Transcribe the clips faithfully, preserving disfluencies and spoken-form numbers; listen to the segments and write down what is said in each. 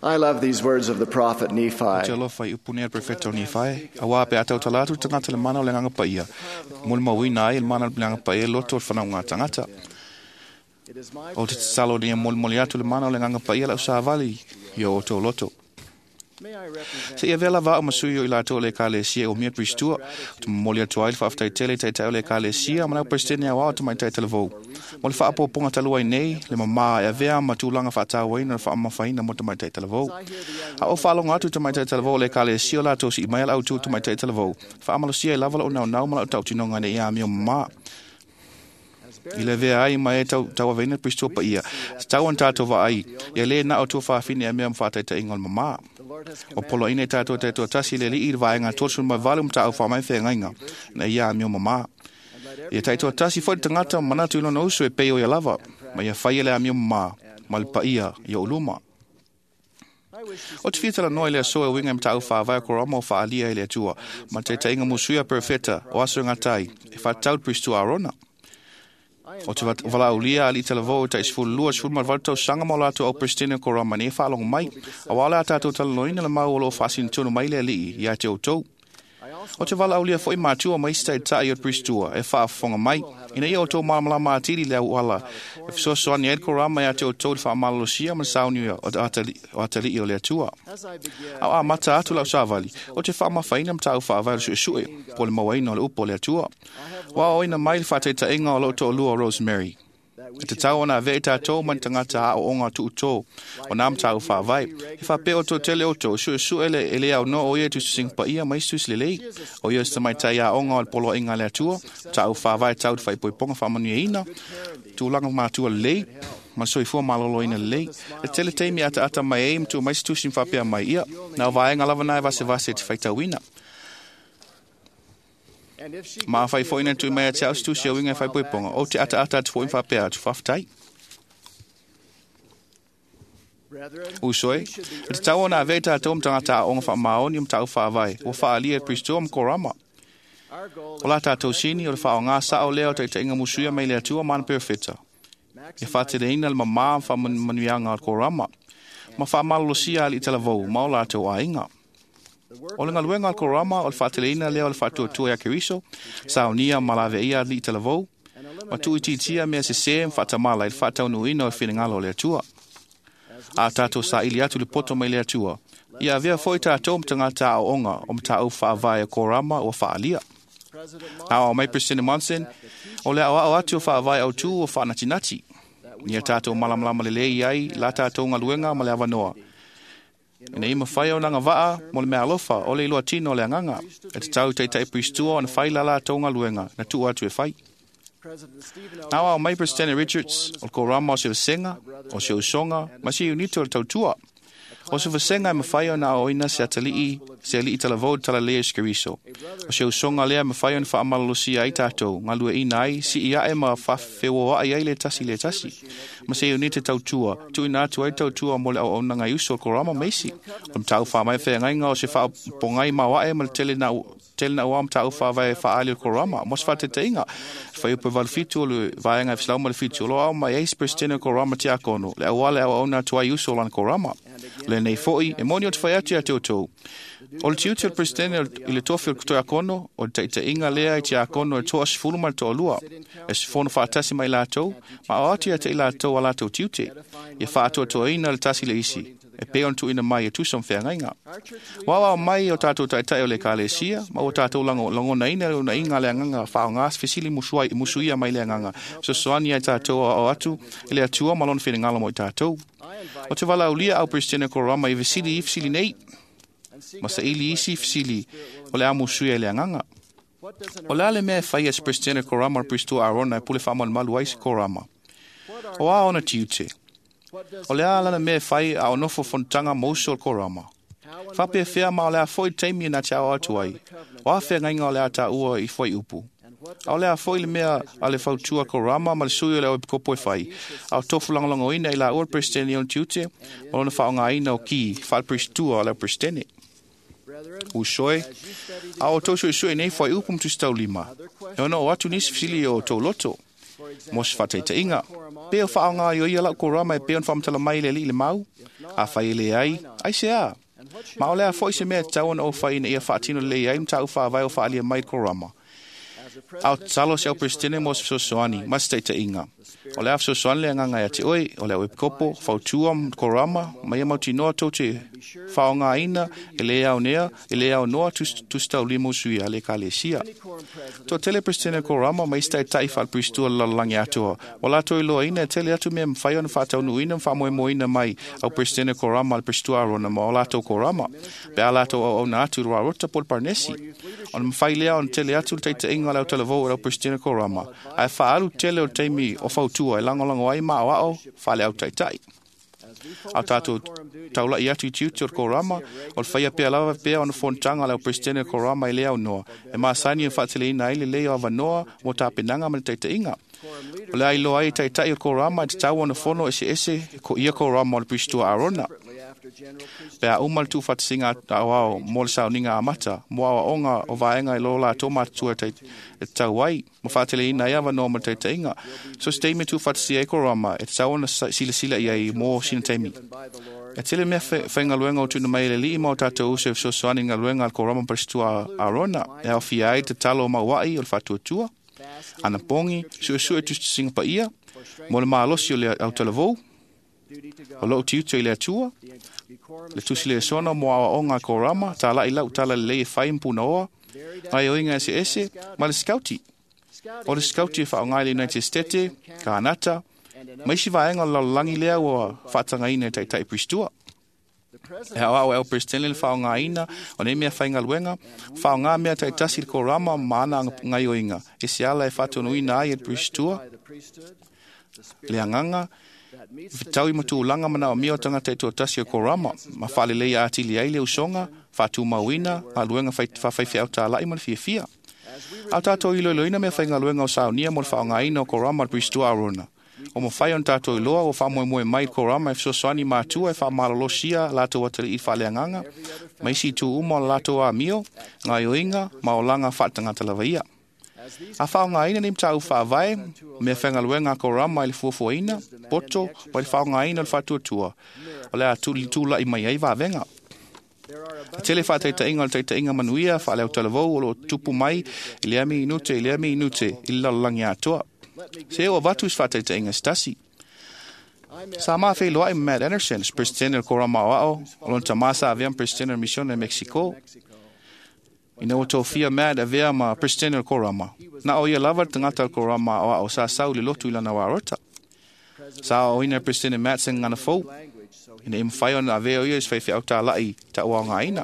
I love these words of the prophet Te Nephi. alofa i upu nei a le profeta o Nifai, a wā pe atau talatu tangata le mana o le nganga paia. Moli mauina ai le mana o le nganga paia loto o le whanau ngā tangata. It is my O te tatalo ni e molimoli atu le mana o le nganga paia lau sāvali i o o loto. May I represent Se ia vela vao masui o i latou le ekalesia o mea Pristua, o te momoli atu ai le faafetai tele i taitai o le ekalesia ma lau presidente au ao te maitai talavou. Mo le faapopoga talu ai nei, le mamā e avea ma tulaga faatauaina le faamamafaina mo tamaitai talavou. A o faalogo atu tamaitai talavou o le ekalesia o latou sii mai a le autū tamaitai talavou. Faamalosia ai lava lou naunau ma lau tautinoga ina ia amio mamā. I le vea ai ma e tau, tauaveina Pristua paia. Tatau ona tatou vaai, ia lē na o tua faafine e mea ma faataitaiga o le mamā. the Lord has O poloaiina i tātou taitoatasi le alii i le vaega tolu mai valu ma taau faamai feagaiga na ia amio mamā. Ia taitoatasi foi le tagata ma manatu i lona uso e pei o ia lava, ma ia faia le amio mamā ma le paia i ou luma. I wish to O te fia talanoa i le aso e uiga i mataupu faavae o korama o faaalia i le Atua, ma le taitaiga musuia perofeta o aso e gatai, e faatatau le Pristua Arona. O te vat- valaaulia alii talavou e taisefululua sefulu ma le valu tausaga ma o latou au Peresetene o Korama nei e faalogo mai, auā le a tatou talanoaina le mau o loo faasinotonu mai le alii ia te outou. I also O te valaaulia foi matua ma isi taitai o le Pristua e faafofoga mai, ina ia outou malamalama atili le auala e fesoasoani ai le Korama ia te outou i le faamalolosia ma le sauni o atali- o atalii o le Atua. as I begin Au amata atu lau savali, o te faamafaina mataupu faavae o le suesue, po o le mauaina o le upu o le Atua. Ua aoina mai le faataitaiga o lou toalua o Rosemary. that we E tatau ona avea i tatou ma ni tagata aoaoga tuutō o nā mataupu faavae. E faapea o tele outou, suesue le e le aunoa o ia i tusitusiga paia ma isi tusi lelei. O ia o se tamaitai aoga o le poloaiga a le Atua, mataupu faavae tau i le faaipoipoga faamanuiaina, tulaga matua lelei, ma le soifua maloloina lelei. E tele taimi ataata mai ai ma tuu mai se tusi ma faapea mai ia, na o vaega lava na e vasevase e te faitauina. and if she Ma gives afai me a foi na book tui mai about a te au marriage, se tusi I'll au uiga e smile faaipoipoga, back o and te say, ataata atu foi ma faapea atu faafetai. Brethren, Uso e, we should be e tatau ona avea i tatou ma tagata aoga faamaoni o mataupu faavae, ua faaalia e Pristua ma Korama. Our goal O la tatou sini o le faaaoga sao lea o taitaiga musuia mai le Atua ma ana perofeta. E faateleina le mamā ma faamanuiaga o le Korama, ma faamalolosia alii talavou ma o latou aiga. O le galuega a le Korama o le faateleina lea o le faatuatua ia Keriso, saunia ma laveia alii talavou, ma tuuitiitia mea sesē ma faatamala i le faataunuuina o le finagalo o le Atua. A tatou saili atu le poto mai le Atua, ia avea foi tatou ma tagata aoaoga o mataupu faavae o Korama ua faaalia. President Ao mai President Monson, o le aoao atu o faavae autū o faanatinati. Ia tatou malamalama lelei ai la tatou galuega ma le avanoa. Ina ia mafai ona agavaa mo le meaalofa o le iloa tino o le agaga. E tatau i taitai Pristua ona fai la latou galuega na tuu atu e fai. President Stephen L. Na ao mai President Richards o le Korama o se vasega, o se usoga, ma se unito o le tautua. O se vasega e mafai ona aoaoina se atalii, se alii talavou talalelei o se Keriso. O se usoga lea e mafai ona faamalolosia ai tatou, galueaiina ai, sii ae ma faafeoai ai le tasi i le tasi. Ma se unite tautua, tuuina atu ai tautua mo le auaunaga i uso o le Korama ma isi. O le mataupu faamae feagaiga o se faapogai maoae ma le tele na tele na ua mataupu faavae faaali o le Korama. Mo se faataitaiga, fuaiupu e valu fitu o le vaega e feselau ma le fitu, o lo ao mai ai se Presidente o Korama Tiakono, le auala e auauna atu ai i uso o lana Korama. Lenei foi, e moni o te fai atu ia te outou. O le tiute o le Presidente i le tofi o le Tiakono, o le taitaiga lea i Tiakono e toasefulu ma le toalua, e se fono faatasi mai latou, ma o atu ia te i latou a latou tiute, ia faatoatoaina le tasi le isi, e pei ona tuuina mai e tusa ma feagaiga. Ua ao mai o tatou taitai o le ekalesia, ma ua tatou lago- lagonaina le unaiga a le agaga faaaoga se fesili musuai, musuia mai le agaga. Fesoasoani ai tatou aoao atu i le Atua ma lona finagalo mo i tatou. O te valaaulia au Presidente Korama i fesili i fesili nei, and seek ma saili isi fesili o le a musuia i le agaga. what does an O le a le mea e faia e se Presidente Korama o le Pristua Arona e pule faamalumalu ai se Korama. O a ona tiute. what does O le a lana mea e fai a o nofo fonotaga ma uso o le Korama. how and Faapea fea ma o le a foi taimi e na te ao atu ai. O a feagaiga o le a tāua i fuaiupu. and what A o le a foi le mea a le fautua Korama ma le sui o le epikopo e fai. A o tofu lagolagoina i la ua le Presidente i ona tiute, ma lona faaaogaina o ki faale-Pristua o le Presidente. brethren Uso e, as you study a o outou suesue nei fuaiupu ma tusitaulima. E ono o atu nisi fesili o outou loto. for Mo se example faataitaiga, pe o faaaoga i o ia lau Korama e pei ona faamatala mai i le alii le mau, Afai e leai, aisea? Ma o le a foi se mea e tatau ona ou fai ina ia faatino lelei ai mataupu faavae o faaalia mai i le korama. A o tatalo se au Peresetene mo se fesoasoani ma se taitaiga. O le a fesoasoani le agaga ia te oe, o le au epikopo, fautua ma korama, ma ia mautinoa tou te faaaogaina e le aonea, e le aonoa tusitaulima usui a le ekalesia. Toatele Peresetene o korama ma isi taitai faale-Peristua o le lalolagi atoa. Ua latou iloaina e tele atu mea e mafai ona faataunuuina ma faamoemoeina mai au Peresetene o korama a le Peristua Arona ma o latou korama, pe a latou auauna atu i le Rarota po o le Paranesi. Ona mafai lea ona tele atu le taitaiga o le autalavou o le au Peresetene korama, ae faaalu tele o le taimi o fautua e lagolago ai ma aoao faale-au taitai. A o tatou taulai atu i tiute o le korama, o le faia pea lava pea ona fonotaga a le au Peresetene o korama e le aunoa, e masani e faateleina ai lelei o avanoa mo tapenaga ma le taitaiga. O le a iloa ai e taitai o le korama e tatau ona fono eseese ia korama o le Peristua Arona. Pe a uma le tuufaatasiga aoao mo le sauniga amata, mo aoaoga o vaega i lo latou matutua e tatau ai, ma faateleina ai avanoa mo le taitaiga. So se taimi e tuufaatasia ai korama, e tatau ona silasila i ai mo sina taimi. E tele mea faigaluega o tuuina mai e le Alii ma o tatou uso e fesoasoani i galuega a le korama Peristua Arona, e aofia ai tatalo o mauai o le faatuatua, anapogi, suesue tusitusiga paia, mo le malosi o le autalavou, o lou tiute i le Atua, le tusi le sona mo aoaoga a korama, talai lau tala lelei e fai ma punaoa, gaioiga eseese, ma le skauti. O le skauti e faaaoga i le United States, Kanata, ma isi vaega o le lalolagi lea ua faatagaina e taitai Peristua. E aoao e au Peresetene le faaaogaina o nei mea faigaluega, faaaoga mea taitasi i le korama ma ana gaioiga, e se ala e faatonuina ai e le Peristua, le agaga, fetaui ma tulaga manaomia o tagata e toatasi o korama, ma faalelei atili ai le usoga, faatumauina, galuega faafaifeau talai ma le fiafia. A o tatou iloiloina mea faigaluega o saunia mo le faaaogaina o korama a le Peristua Arona. O mafai ona tatou iloa ua faamoemoe mai i le korama e fesoasoani matua e faamalolosia latou atalii faaleagaga, ma isi itu uma o le latou amio, gaioiga ma olaga faatagata lava ia. A faaaogaina nei mataupu faavae, mea faigaluega a korama i le fuafuaina, poto, ma le faaaogaina o le faatuatua, o le a tulai mai ai vavega. E tele faataitaiga o le taitaiga manuia faale-autalavou o lo o tupu mai i lea minute i lea minute i le lalolagi atoa. Se o avatu se faataitaiga se tasi. Sa ma feiloai ma Matt Anderson, se Presidente o le korama aoao, o lona tamā sa avea ma Presidente o le misione i Mexico. Ina ua tofia Matt avea ma Presidente o le korama. Na o ia lava le tagata o le korama aoao sa sau i le lotu i lana warota. Sa aoaoina e Presidente Matt se gagana fou, ina ia mafai ona avea o ia i se faifeau talai taʻuaogaina.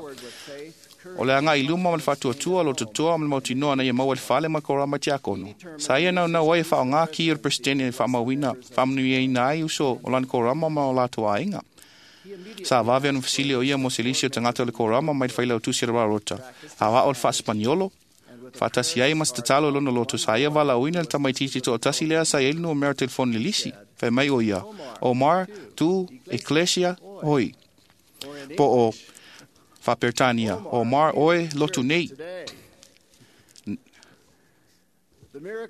O le agai i luma ma le faatuatua, lo totoa ma le mautinoa na ia maua le fale ma le korama i tiakono. Sa ia naunau ai e faaaoga ki o le Presidente e faamauina, faamanuiaina ai uso o lana korama ma o latou aiga. Sa vave ona fesili o ia mo se lisi o tagata o le korama mai le failautusi o le Rarota. Aoao le faasepaniolo, faatasi ai ma se tatalo i lona loto, sa ia valaauina le tamaitiiti toatasi lea sa i ai le numera telefoni le lisi. Fai mai o ia, Omar, tu, Ecclesia, oi. Po o Faaperetania, Omar, oe, lotu nei.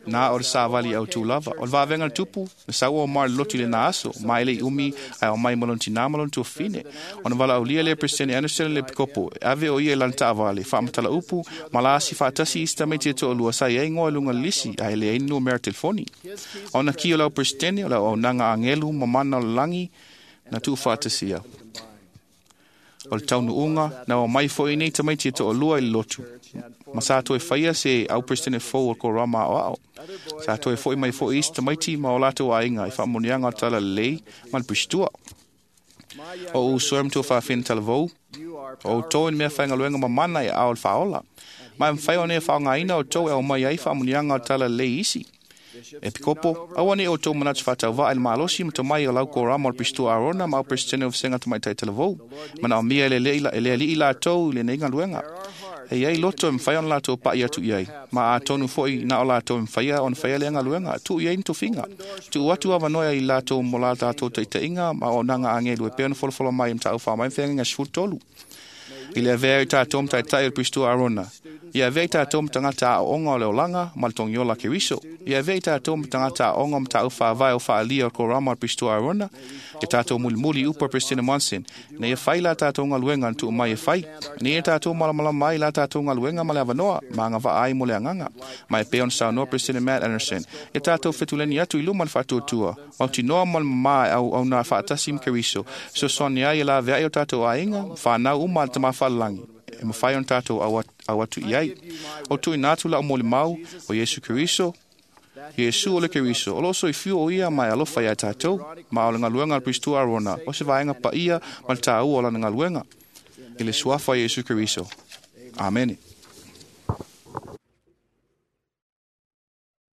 Na o le savali au tū lava. O le vavenga le tupu, na sau o Omar le lotu i le na aso, ma e le i umi ai o mai malon tina malon tuafine. Ona vala aulia le Presidente Anderson le pikopo, ave o ia i lana taavale, faamatala upu, ma la asi faatasi i isi tamaiti e toalua sa i ai ngoa i luga o le lisi, ae leai ni numera telefoni. Ona ki o lau Presidente, o lau auaunaga agelu ma mana o le lagi, na tuufaatasia. O le taunuuga, na o mai foi nei tamaiti e toalua i le lotu. Ma sa toe faia se au Presidente fou o le korama aoao. Sa toe foi mai foi isi tamaiti ma o latou aiga i faamanuiaga o le tala lelei ma le Peristua. O uso e matua faafina talavou, o outou i le mea faigaluega mamana e ao le faaola. Ma e mafai ona e faaaogaina outou e aumai ai faamanuiaga o le tala lelei isi. E pikopo, aua ne i outou manatu faatauvaa i le malosi ma tomai o lau korama o le Peristua Arona ma au Presidente o Vasega Tamaitai Talavou. Manaomia e le Alii latou i lenei galuega. E i ai loto e mafai ona latou pa'i atu i ai, ma atonu foi na o latou e mafai ona faia lea galuega, tuu i ai ni tofiga. Tuu atu avanoa i latou mo la tatou taitaiga ma auaunaga agelu e pei ona folafola mai i Mataupu Faamaea ma Feagaiga sefulu tolu. I le avea ai o tatou ma taitai o le Peristua Arona, Ia avea i tatou ma tagata aoaoga o le olaga ma le togiola a Keriso. Ia avea i tatou ma tagata aoaoga o mataupu faavae o faaalia o le Korama a le Peresitua Aarona. Ia tatou mulimuli i upu a Peresetene Monson, ina ia fai la tatou galuega na tuu mai e fai, ina ia tatou malamalama ai la tatou galuega ma le avanoa ma agavaa ai mo le agaga. Ma e pei ona saunoa Peresetene Matt Anderson, ia tatou fetuleni atu i luma le faatuatua, mautinoa ma le mamā e auauna faatasi ma Keriso, fesoasoani ai e laveai o tatou aiga, ma fanau uma a le Tama Faalelagi, e mafai ona tatou au atu i ai. O tuuina atu lau molimau o Iesu Keriso, Iesu o le Keriso, o loo soifua o ia ma e alofa iā tatou, ma o le galuega a le Peresitua Aarona, o se vaega paia ma le tāua o lana galuega, i le suafa o Iesu Keriso. Amene.